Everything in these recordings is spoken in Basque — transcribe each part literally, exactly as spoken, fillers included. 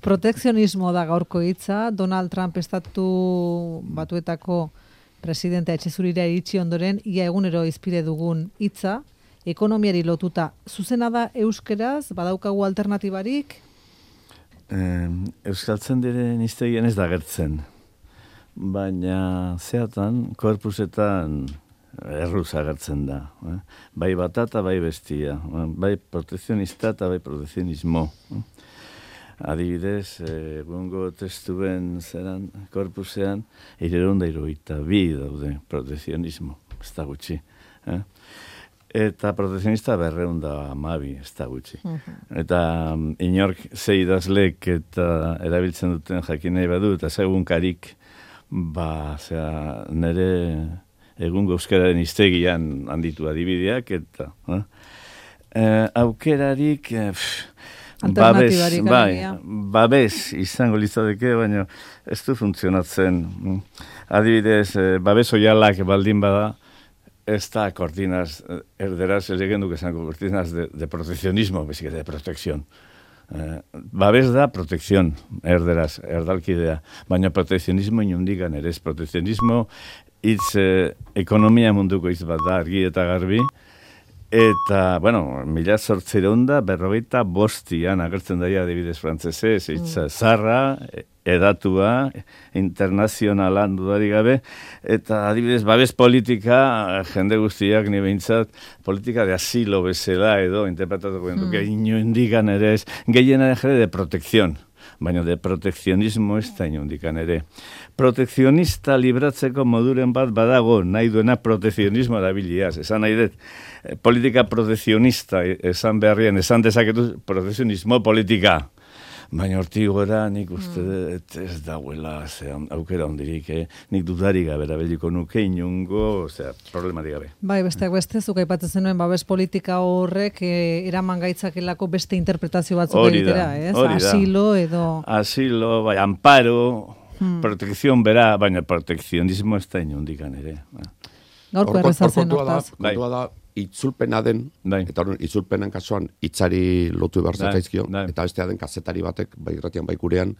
Protekzionismo da gaurko hitza. Donald Trump estatu batuetako presidentea etxezurira iritsi ondoren, ia egunero izpide dugun hitza, ekonomiari lotuta. Zuzena da euskeraz, badaukagu alternatibarik? Eh, euskaltzen diren iztegien ez da gertzen. Baina zeatan, korpusetan erruz agertzen da. Eh? Bai batata, bai bestia. Eh? Bai protekzionista eta bai protekzionismo. Eh? Adibidez, egungo testuen zeran, korpusean, hirurehun eta hirurogeita bi daude protekzionismo, ez da gutxi. Eh? Eta protekzionista berrehun eta hamabi, ez da gutxi. Uh-huh. Eta um, inork ze idazlek eta erabiltzen duten jakin nahi badu, eta segunkarik, ba, zera, nire egungo euskararen hiztegian handitu adibideak, eta eh? Eh, aukerarik... Eh, Babes, bai, babes izango litzateke, baina ez du funtzionatzen. Adibidez, babes oialak baldin bada, ez da cortinas, erderaz, ez egen duk esango cortinas de, de proteccionismo, bezik de protekzion. Eh, babes da protekzion, erderaz, erdalkidea, baina protekzionismo inundikan ere ez. Protekzionismo hitz eh, ekonomia munduko hitz bat da, argi eta garbi. Eta, bueno, mila zortzireun da, berrogeita bostian agertzen daia adibidez frantzesez, hitza zarra, edatua, internazionalan dudarik gabe, eta adibidez babes politika, jende guztiak ni behintzat, politika de asilo bezala edo, interpretatuko mm. duke, inundikan ere ez, gehiena ere de protekzion, baina de protekzionismo ez da inundikan ere. Protekzionista libratzeko moduren bat badago, nahi duena protekzionismo erabiliaz. Esan nahi dut, politika protekzionista esan beharrien, esan dezaketu protekzionismo politika. Baina hortik gora nik uste dut ez dauela aukera ondirik, eh? Nik dudarik gabe erabiliko nuke inungo, osea, problematik gabe. Bai, besteak beste, zuk aipatzen zenuen babes politika horrek eh, eraman gaitzakelako beste interpretazio batzuk egitera, ez? Asilo edo... Asilo, bai, amparo... Hmm. Protekzion bera, baina protekzionismo ez da inundikan ere. Gaurko errezatzen hortaz. Kontua da, itzulpena den, bai. Eta horren itzulpenan kasuan hitzari lotu behar zakaizkio, bai. Eta bestea den kazetari batek, bai irratian bai gurean,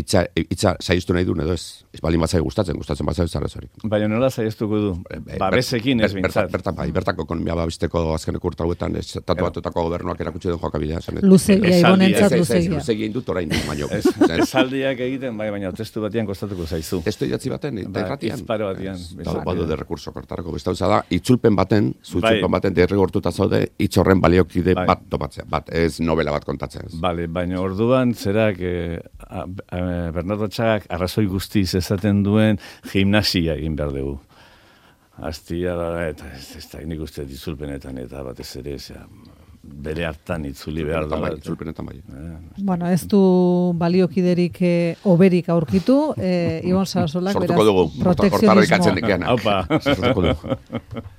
itza, itza saiztu nahi duen edo ez. Ez balin batzai gustatzen, gustatzen batzai zarrezorik. Baina nola saiztuko du? Babesekin ez bintzat. Bertan, bai, bertako ekonomia babisteko azkeneko urtauetan, ez tatuatutako gobernuak erakutsi den joakabidea. Luzegia, ibonentzat luzegia. Luzegia indut orain, baino. Esaldiak egiten, bai, baina testu batian kostatuko zaizu. Testu idatzi baten, eta irratian. Izparo batian. Badu de rekurso kortarako. Besta da, itzulpen baten, zuitzulpen baten derrigortuta zaude, hitz horren baliokide bat topatzea. Bat, ez novela bat kontatzea. Bale, baina orduan, zerak, Bernardo Txagak arrazoi guztiz esaten duen gimnasia egin behar dugu. Aztia da, eta ez, ez da nik uste ditzulpenetan eta batez ere, zera, bere hartan itzuli behar da. Itzulpenetan bai. Bueno, ez du baliokiderik eh, oberik aurkitu, eh, Ibon Sarasolak, beraz, protekzionismo. Haupa.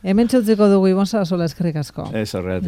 Hemen txotziko dugu, Ibon Sarasola, eskerrik asko. Ez horregatik.